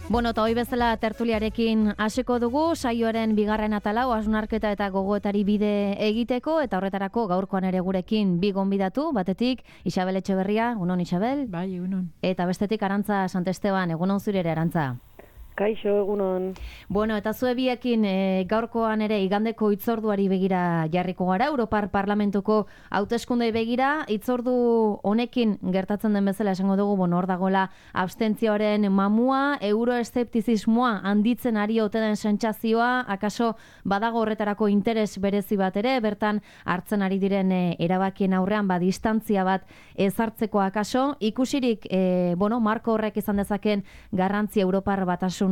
Bueno, eta hoi bezala tertuliarekin hasiko dugu, saioaren bigarren atalau, hausnarketa eta gogoetari bide egiteko, eta horretarako gaurkoan ere gurekin bi gonbidatu, batetik Isabel Etxeberria, egunon Isabel? Bai, egunon. Eta bestetik Arantza Santesteban, egunon zure ere Arantza? Kaixo, egunon. Bueno, eta zue biekin gaurkoan ere igandeko hitzorduari begira jarriko gara, Europar Parlamentuko hauteskundei begira, hitzordu honekin gertatzen den bezala esango dugu, hor dagoela abstentzioaren mamua, euroeszeptizismoa handitzen ari ote den sentsazioa, akaso badago horretarako interes berezi bat ere, bertan hartzen ari diren erabakien aurrean distantzia bat ezartzeko akaso, ikusirik, marko horrek izan dezaken garrantzi Europar Batasunaren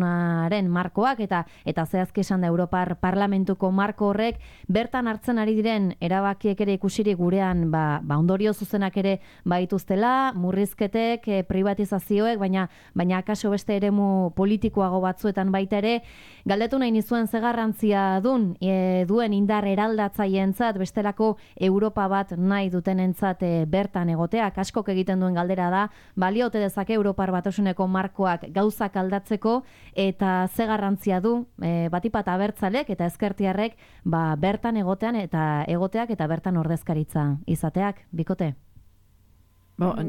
markoak eta zehazki esan da Europar Parlamentuko marko horrek bertan hartzen ari diren erabakiek ere ikusirik gurean ondorio zuzenak ere baituztela, murrizketek, privatizazioek, baina akaso beste eremu politikoago batzuetan baita ere, galdetu nahi nizuen ze garrantzia duen indar eraldatzaientzat bestelako Europa bat nahi dutenentzat bertan egoteak, askok egiten duen galdera da, baliote dezake Europar Batasuneko markoak gauzak aldatzeko, eta ze garrantzia du batipat abertzalek eta ezkertiarrek bertan egoteak eta bertan ordezkaritza izateak, bikote? Bai,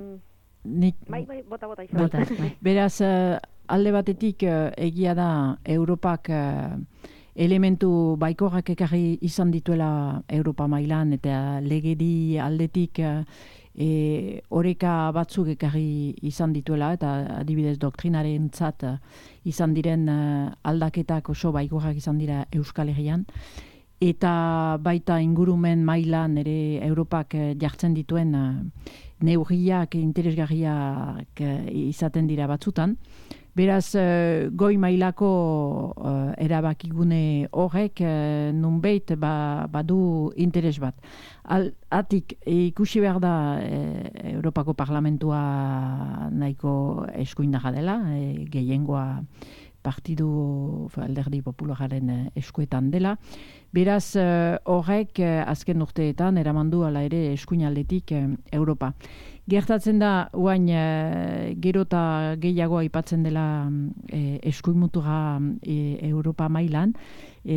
bota. Beraz, alde batetik egia da Europak elementu baikorrak ekarri izan dituela Europa mailan eta legedi aldetik oreka batzuk ekarri izan dituela eta adibidez doktrinarentzat izan diren aldaketak oso baikorrak izan dira Euskal Herrian eta baita ingurumen mailan ere Europak jartzen dituen neurriak interesgarriak izaten dira batzutan. Beraz, goi mailako erabakigune horrek nunbait badu interes bat. Atik ikusi behar da Europako Parlamentua nahiko eskuindarra dela, gehiengoa partidu alderdi populararen eskuetan dela. Beraz, horrek azken urteetan eramandu ala ere eskuinaldetik Europa. Gertatzen da, guain gero eta gehiago aipatzen dela eskuinmutura Europa mailan.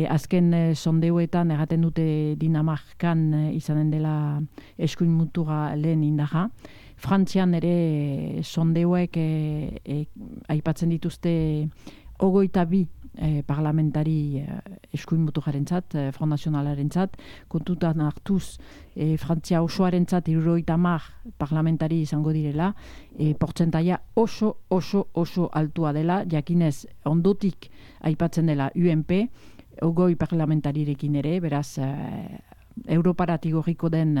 Azken sondeuetan erraten dute Dinamarkan izanen dela eskuinmutura lehen indarra. Frantzian ere sondeuek aipatzen dituzte 22 parlamentari eskuinmuturarentzat, Front Nationalarentzat, kontutan hartuz Frantzia osoarentzat 70 parlamentari izango direla, portzentaia oso altua dela, jakinez ondotik aipatzen dela UNP, 20 parlamentarirekin ere, beraz Europarat igorriko den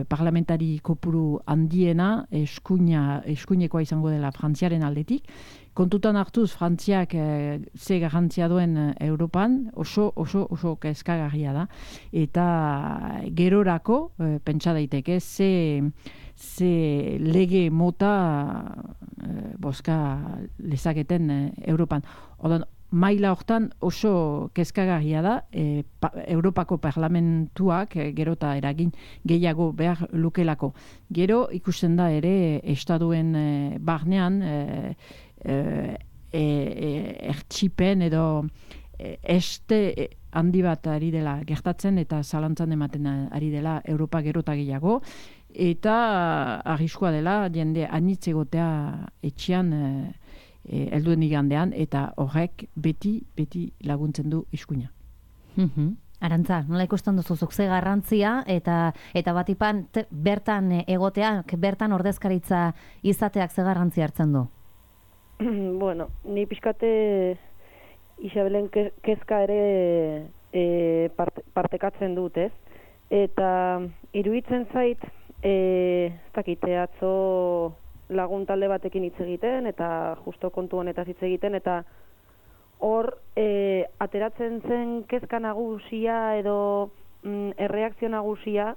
parlamentari kopuru handiena eskuinekoa izango dela Frantziaren aldetik. Kontutan hartuz Frantziak ze garrantzia duen Europan oso kezkagarria da. Eta gerorako, pentsa daiteke, ze lege mota boska lezaketen Europan. Odan, maila hortan oso kezkagarria da, Europako parlamentuak gero eta eragin gehiago behar lukelako. Gero ikusten da ere estaduen barnean ertxipen edo este handi bat ari dela gertatzen eta zalantzan ematen ari dela Europa gero eta gehiago eta arriskua dela jende anitz egotea etxean helduen igandean eta horrek beti laguntzen du eskuina. Arantza, nola ikusten duzuzuk ze garrantzia eta batipan bertan egoteak, bertan ordezkaritza izateak ze garrantzia hartzen du? Bueno, ni pixkate Isabelen kezka ere partekatzen dut, ez? Eta iruditzen zait, ez dakite atzo lagun talde batekin hitz egiten eta justo kontu honetaz hitz egiten eta hor ateratzen zen kezka nagusia edo erreakzio nagusia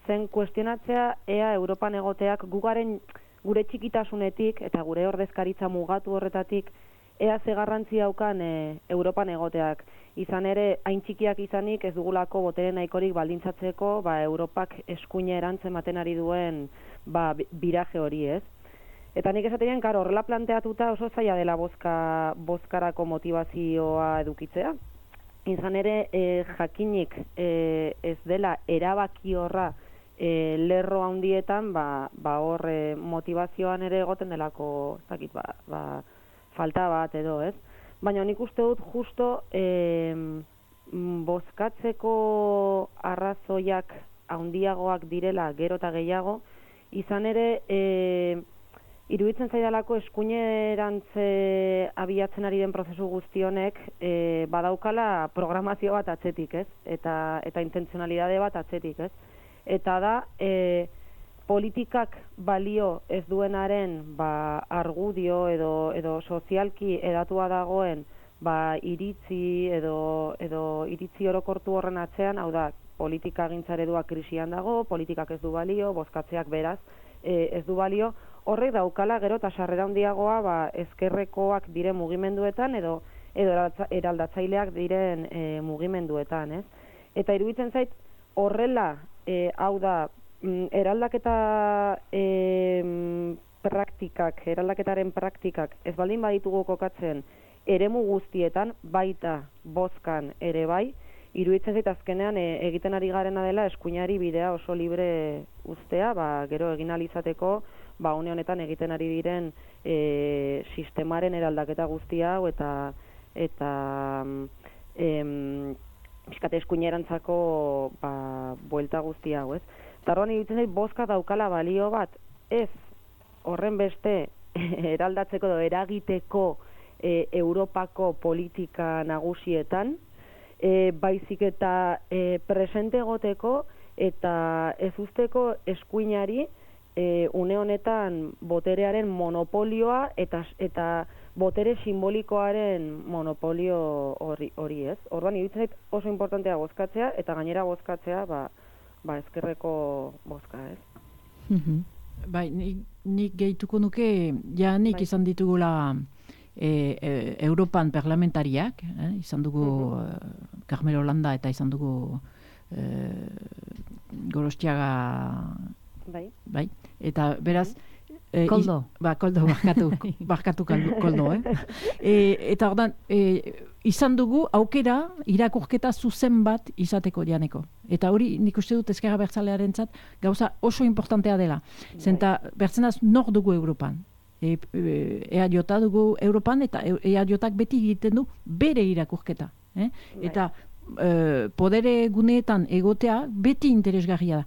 zen kuestionatzea ea Europan egoteak gure txikitasunetik eta gure ordezkaritza mugatu horretatik ea ze garrantzia daukan Europan egoteak. Izan ere, hain txikiak izanik ez dugulako botere nahikorik baldintzatzeko Europak eskuina erantzen ematen ari duen biraje hori, ez? Eta nik esatean, karo, horrela planteatuta oso zaila dela bozkarako motivazioa edukitzea. Izan ere, jakinik ez dela erabaki horra lerro handietan, hor motivazioan ere egoten delako, ez dakit, falta bat edo, ez? Baina nik uste dut justo bozkatzeko arrazoiak handiagoak direla gero eta gehiago, izan ere iruditzen zaidalako eskuinerantze abiatzen ari den prozesu guztionek badaukala programazio bat atzetik, ez? Eta intentzionalidade bat atzetik, ez? Eta da, politikak balio ez duenaren argudio edo sozialki edatua dagoen iritzi edo iritzi orokortu horren atzean, hau da, politika gintzaredua krisian dago, politikak ez du balio, bozkatzeak beraz ez du balio, horrek daukala gero eta sarrera handiagoa ezkerrekoak diren mugimenduetan edo eraldatzaileak diren mugimenduetan, ez? Eta iruditzen zait horrela, hau da, eraldaketa eraldaketaren praktikak ez baldin baditugu kokatzen eremu guztietan, baita bozkan ere bai, iruditzen zait azkenean egiten ari garena dela eskuinari bidea oso libre uztea, gero egin ahal izateko, une honetan egiten ari diren sistemaren eraldaketa guztia hau eta pixkate eskuinerantzako buelta guztia hau, ez? Tarroan iruditzen zait bozka daukala balio bat, ez horren beste eraldatzeko edo eragiteko Europako politika nagusietan, baizik eta presente egoteko eta ez usteko eskuinari une honetan boterearen monopolioa eta botere simbolikoaren monopolio hori, ez? Orduan iruditzen zait oso importantea bozkatzea eta gainera bozkatzea ezkerreko bozka, ez? Bai, nik gehituko nuke, nik izan ditugula Europan parlamentariak, izan dugu Carmelo Landa eta izan dugu Gorostiaga, bai, eta beraz Koldo. Koldo, barkatu Koldo, eta ordan, izan dugu aukera irakurketa zuzen bat izateko janeko. Eta hori nik uste dut ezkerra bertzalearentzat gauza oso importantea dela. Zenta bertzenaz nor dugu Europan. EAJ dugu Europan eta EAJak beti egiten du bere irakurketa. Eta podere guneetan egotea beti interesgarria da.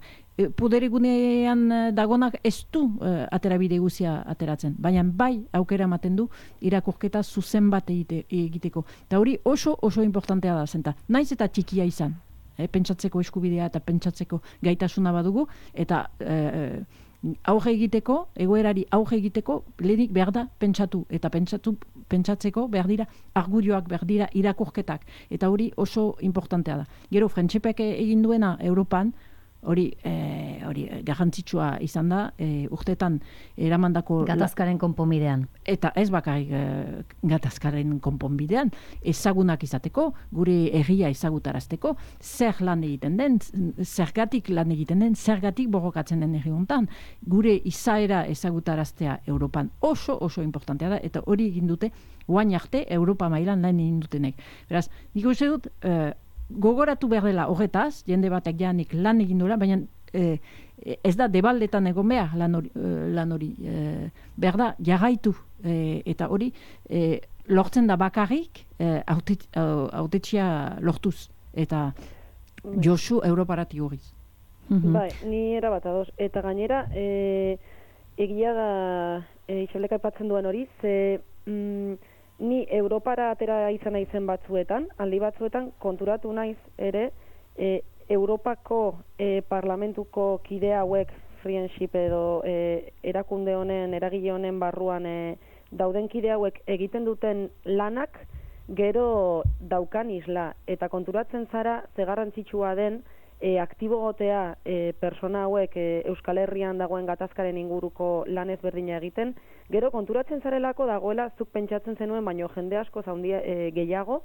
Podere gunean dagonak ez du aterabide guzia ateratzen, baina bai aukera ematen du irakurketa zuzen bat egiteko. Eta hori oso importantea da zenta. Naiz eta txikia izan, pentsatzeko eskubidea eta pentsatzeko gaitasuna badugu, eta aurre egiteko, egoerari aurre egiteko, lehenik behar da pentsatu, eta pentsatzeko behar dira argudioak, behar dira irakurketak, eta hori oso importantea da. Gero, Frentxepek egin duena Europan, hori garrantzitsua izan da, urtetan eramandako gatazkaren konponbidean. Eta ez bakarrik gatazkaren konponbidean, ezagunak izateko, gure herria ezagutarazteko, zer lan egiten den, zergatik lan egiten den, zergatik borrokatzen den herri hontan, gure izaera ezagutaraztea Europan oso importantea da, eta hori egin dute, oain arte Europa mailan lan egin dutenek. Beraz, nik uste dut, gogoratu behar dela horretaz, jende batek janik lan egin duela, baina ez da debaldetan egon behar lan hori. Behar da, jarraitu. Eta hori, lortzen da bakarrik autetxia lortuz. Eta Josu Europarati horiz. Bai, ni erabat ados. Eta gainera, egia da Ixableka aipatzen duen hori, ni Europara atera izan naizen batzuetan, aldi batzuetan konturatu naiz ere Europako parlamentuko kide hauek friendship edo erakunde honen, eragile honen barruan dauden kide hauek egiten duten lanak gero daukan isla. Eta konturatzen zara ze garrantzitsua den aktibo gotea persona hauek Euskal Herrian dagoen gatazkaren inguruko lan ezberdina egiten, gero konturatzen zarelako dagoela zuk pentsatzen zenuen, baino jende asko gehiago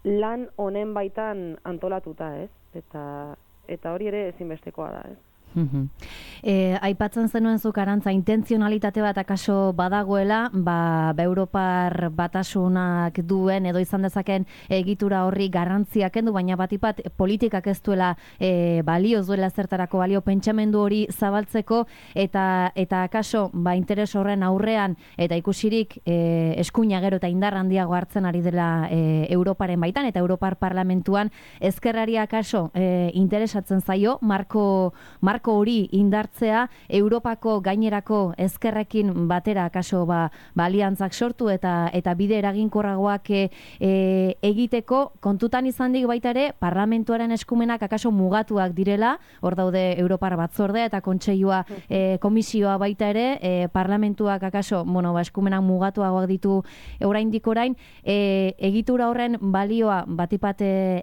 lan honen baitan antolatuta, ez? Eta hori ere ezinbestekoa da, ez? Aipatzen zenuen zuk Arantza, intentzionalitate bat akaso badagoela, Europar batasunak duen edo izan dezaken egitura horri garrantzia kendu, baina batipat politikak ez duela balio, duela zertarako balio pentsamendu hori zabaltzeko, eta akaso interes horren aurrean eta ikusirik eskuina gero eta indar handiago hartzen ari dela Europaren baitan, eta Europar Parlamentuan ezkerrari akaso interesatzen zaio marko hori indartzea, Europako gainerako ezkerrekin batera akaso aliantzak sortu eta bide eraginkorragoak egiteko, kontutan izandik baita ere parlamentuaren eskumenak akaso mugatuak direla, hor daude Europar batzordea eta kontseilua komisioa baita ere, parlamentuak akaso eskumenak mugatuagoak ditu oraindik orain, egitura horren balioa batipat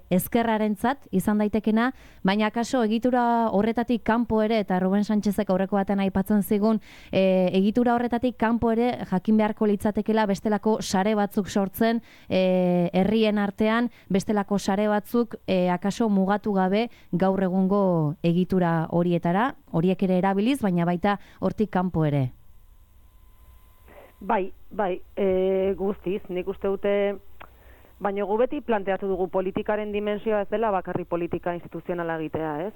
ezkerrarentzat izan daitekena, baina akaso egitura horretatik kanpo ere, eta Ruben Sánchezek aurreko baten aipatzen zigun, egitura horretatik kanpo ere jakin beharko litzatekela bestelako sare batzuk sortzen herrien artean, bestelako sare batzuk akaso mugatu gabe gaur egungo egitura horietara, horiek ere erabiliz, baina baita hortik kanpo ere. Bai, guztiz, nik uste dute, baina gu beti planteatu dugu politikaren dimensioa ez dela bakarri politika instituzionala egitea, ez?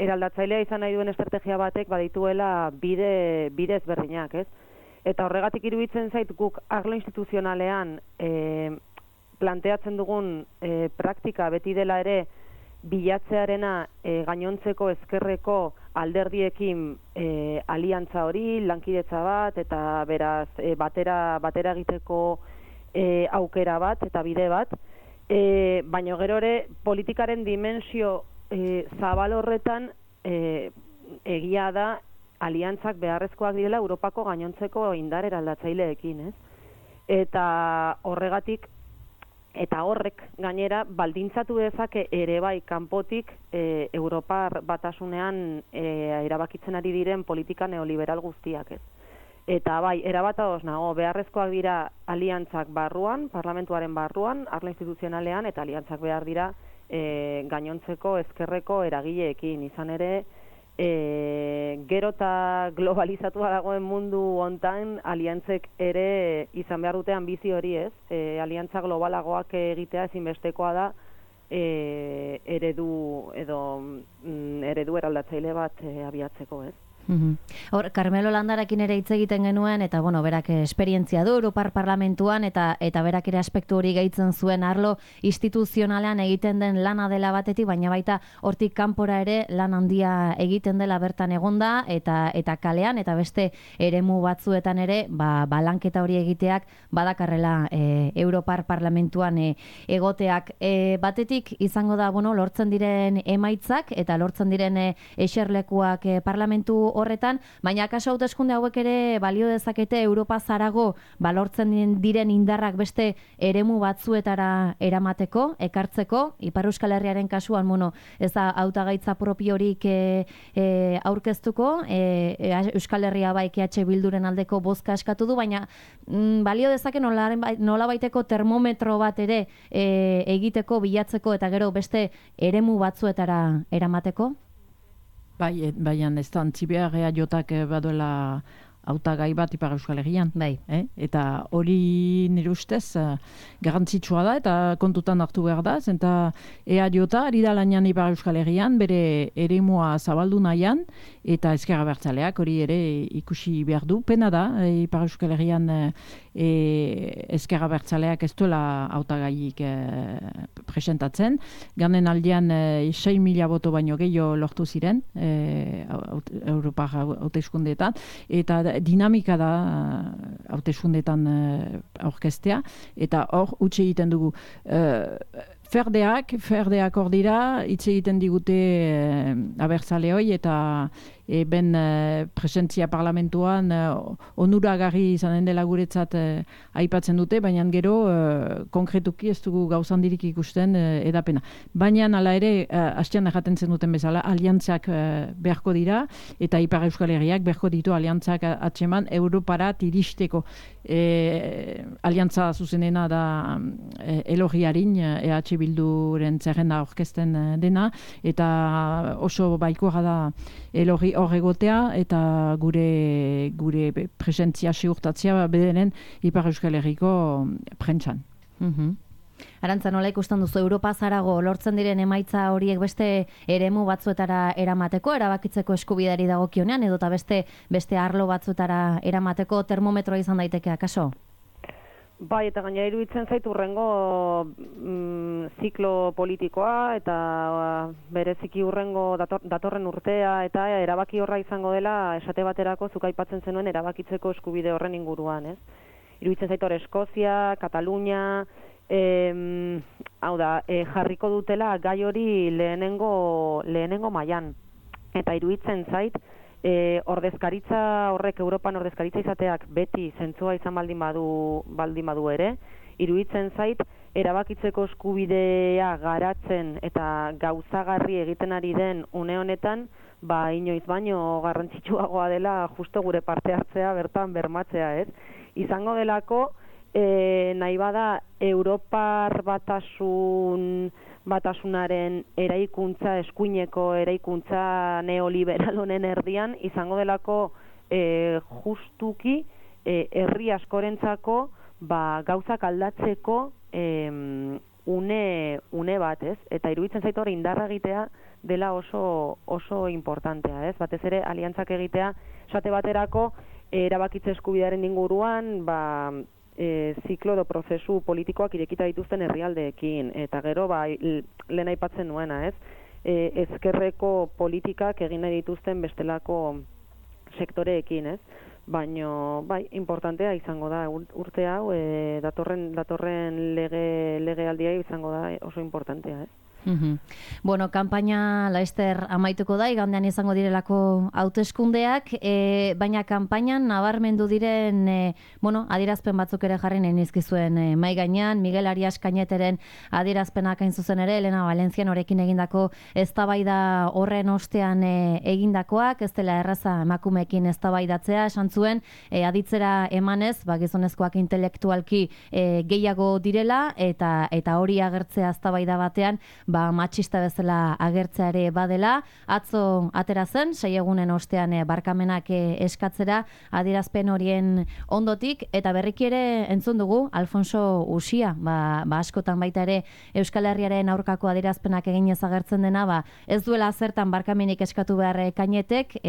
Eraldatzailea izan nahi duen estrategia batek badituela bide ezberdinak, ez? Eta horregatik iruditzen zait guk arlo instituzionalean planteatzen dugun praktika beti dela ere bilatzearena gainontzeko ezkerreko alderdiekin aliantza hori, lankidetza bat, eta beraz batera egiteko aukera bat eta bide bat, baina gero ere politikaren dimensio zabal horretan egia da aliantzak beharrezkoak direla Europako gainontzeko indar eraldatzaileekin, ez? Eta horregatik eta horrek gainera baldintzatu dezake ere bai kanpotik Europar batasunean erabakitzen ari diren politika neoliberal guztiak, ez? Eta bai, erabat ados nago, beharrezkoak dira aliantzak barruan, parlamentuaren barruan, arlo instituzionalean, eta aliantzak behar dira gainontzeko ezkerreko eragileekin. Izan ere, gero eta globalizatua dagoen mundu hontan, aliantzek ere izan behar dute ambizio hori, ez? Aliantza globalagoak egitea ezinbestekoa da eredu eraldatzaile bat abiatzeko, ez? Hor, Carmelo Landarakin ere hitz egiten genuen, eta berak esperientzia du Europar Parlamentuan, eta berak ere aspektu hori gehitzen zuen arlo instituzionalean egiten den lana dela batetik, baina baita hortik kanpora ere lan handia egiten dela bertan egonda, eta kalean, eta beste eremu batzuetan ere, lanketa hori egiteak badakarrela Europar Parlamentuan egoteak. Batetik izango da, lortzen diren emaitzak, eta lortzen diren eserlekuak parlamentu horretan, baina akaso hauteskunde hauek ere balio dezakete Europa zarago lortzen diren indarrak beste eremu batzuetara eramateko, ekartzeko, Ipar Euskal Herriaren kasuan, ez da hautagaitza propiorik aurkeztuko, Euskal Herria bai EH Bilduren aldeko bozka eskatu du, baina balio dezake nola baiteko termometro bat ere egiteko, bilatzeko, eta gero beste eremu batzuetara eramateko? Baina ez da antzibearrea jotak baduela hautagai bat Ipar Euskal Herrian. Bai. Eta hori nire ustez garrantzitsua da eta kontutan hartu behar da, zenta EAJ ari da lanean Ipar Euskal Herrian, bere eremua zabaldu nahian, eta Ezker Abertzaleak hori ere ikusi behar du. Pena da, Ipar Euskal Herrian Ezker Abertzaleak ez duela hautagaiik presentatzen. Ganen aldean 6.000 boto baino gehiago lortu ziren Europar hauteskundeetan, eta dinamika da hauteskundeetan aurkeztea, eta hor utzi egiten dugu. Ferdeak hor dira, hitz egiten digute abertzaleoi, eta ben presentzia parlamentuan onuragarri izanen dela guretzat aipatzen dute, baina gero konkretuki ez dugu gauzandirik ikusten edapena. Baina hala ere, hastean erraten zen duten bezala, aliantzak beharko dira, eta Ipar Euskal Herriak beharko ditu aliantzak atseman Europarat iristeko. Aliantza zuzenena da Elorriarin, EH Bilduren zerrenda aurkezten dena, eta oso baikoa da elorri hor egotea, eta gure presentzia ziurtatzea bederen Ipar Euskal Herriko prentsan. Arantza, nola ikusten duzu, Europa zarago lortzen diren emaitza horiek beste eremu batzuetara eramateko, erabakitzeko eskubideari dagokionean, edota beste arlo batzuetara eramateko termometroa izan daiteke akaso? Bai, eta gaina iruditzen zaitu urrengo ziklo politikoa, eta bereziki urrengo datorren urtea, eta erabaki horra izango dela, esate baterako zuk aipatzen zenuen erabakitzeko eskubide horren inguruan, ez? Iruditzen zaitu hor Eskozia, Katalunia, hau da, jarriko dutela gai hori lehenengo mailan. Eta iruditzen zait, ordezkaritza horrek, Europan ordezkaritza izateak beti zentzua izan baldin badu ere, iruditzen zait, erabakitzeko eskubidea garatzen eta gauzagarri egiten ari den une honetan, inoiz baino garrantzitsuagoa dela justo gure parte hartzea bertan bermatzea, ez? Izango delako, nahi bada Europar batasunaren eraikuntza, eskuineko eraikuntza neoliberal honen erdian, izango delako justuki herri askorentzako gauzak aldatzeko une bat, ez? Eta iruditzen zaitu hori indarra egitea dela oso importantea, ez? Batez ere aliantzak egitea, esate baterako erabakitze eskubidearen inguruan, ziklo edo prozesu politikoak irekita dituzten herrialdeekin, eta gero lehen aipatzen nuena, ez? Ezkerreko politikak egin nahi dituzten bestelako sektoreekin, ez? Baina, importantea izango da urte hau, datorren legealdia izango da oso importantea, ez? Bueno, kanpaina laster amaituko da, igandean izango direlako hauteskundeak, baina kanpainan nabarmendu diren, adierazpen batzuk ere jarri nahi nizkizuen mai gainean, Miguel Arias Cañeteren adierazpenak hain zuzen ere, Elena Valencian horekin egindako eztabaida horren ostean egindakoak, ez dela erraza emakumeekin eztabaidatzea, esan zuen, aditzera emanez, gizonezkoak intelektualki gehiago direla, eta hori agertzea eztabaida batean, matxista bezala agertzeare badela, atzo atera zen, 6 egunen ostean barkamenak eskatzera adierazpen horien ondotik, eta berriki ere entzun dugu Alfonso Uxia, askotan baita ere Euskal Herriaren aurkako adierazpenak eginez agertzen dena, ez duela zertan barkamenik eskatu behar Cañetek,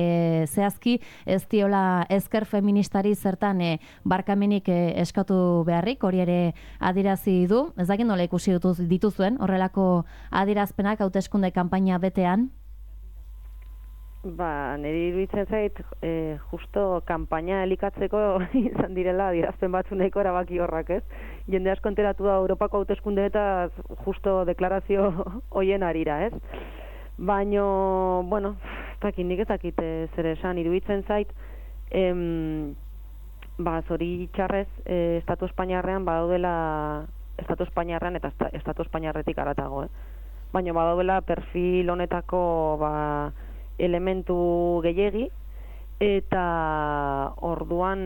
zehazki ez diola ezker feministari zertan barkamenik eskatu beharrik, hori ere adierazi du, ez dakit nola ikusi dituzuen horrelako adierazpenak hauteskunde kanpaina betean? Niri iruditzen zait, justo kanpaina elikatzeko izan direla adierazpen batzuneko erabaki horrak, ez? Jende asko enteratu da Europako hauteskunde eta justo deklarazio hoien arira, ez? Baina, nik ez dakit zer esan, iruditzen zait, zori txarrez, Estatu Espainiarrean badaudela, Estatu Espainiarrean eta Estatu Espainiarretik aratago, baina badaudela perfil honetako elementu gehiegi, eta orduan,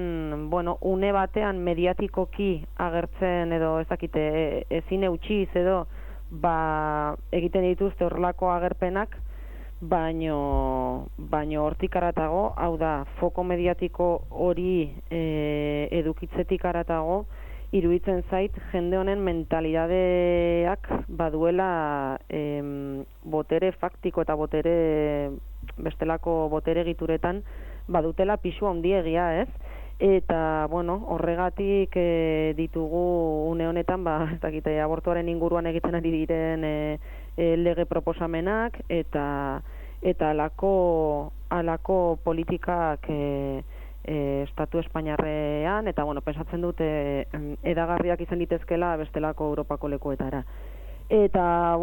une batean mediatikoki agertzen edo ez dakite ezin eutxiz edo egiten dituzte horrelako agerpenak, baino hortik aratago, hau da, foko mediatiko hori edukitzetik aratago, iruditzen zait jende honen mentalidadeak baduela botere faktiko eta bestelako botere egituretan badutela pisu handiegia, ez? Eta, horregatik ditugu une honetan, ez dakite, abortuaren inguruan egiten ari diren lege proposamenak, eta alako politikak Estatu Espainiarrean, eta, pensatzen dute edagarriak izan ditezkela bestelako Europako lekuetara. Eta,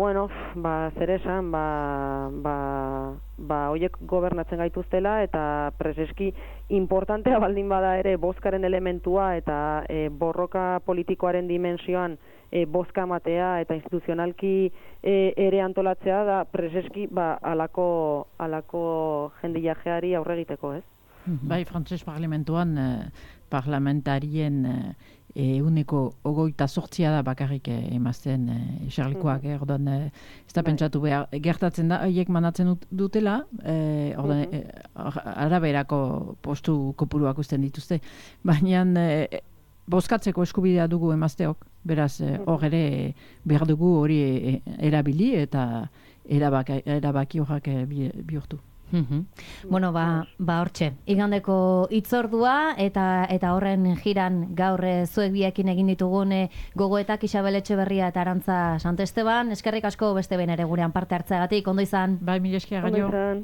zer esan, horiek gobernatzen gaituztela, eta preseski importantea baldin bada ere bozkaren elementua eta borroka politikoaren dimensioan bozka matea eta instituzionalki ere antolatzea da preseski alako jendiajeari aurre egiteko, ez? Bai, frantses parlamentuan parlamentarien euneko 28 da bakarrik emazten eserlikoak, ordan ez da pentsatu behar, gertatzen da, haiek manatzen dutela, ordan araberako postu kopuruak usten dituzte, baina bozkatzeko eskubidea dugu emazteok, beraz hor ere behar dugu hori erabili eta erabaki horrak bihurtu. Bueno, hortxe, igandeko hitzordua eta horren jiran gaur zuek biekin egin ditugun gogoetak Isabel Etxeberria eta Arantza Santesteban. Eskerrik asko beste behin ere gurean parte hartzeagatik, ondo izan. Bai, mila esker, Ondo izan.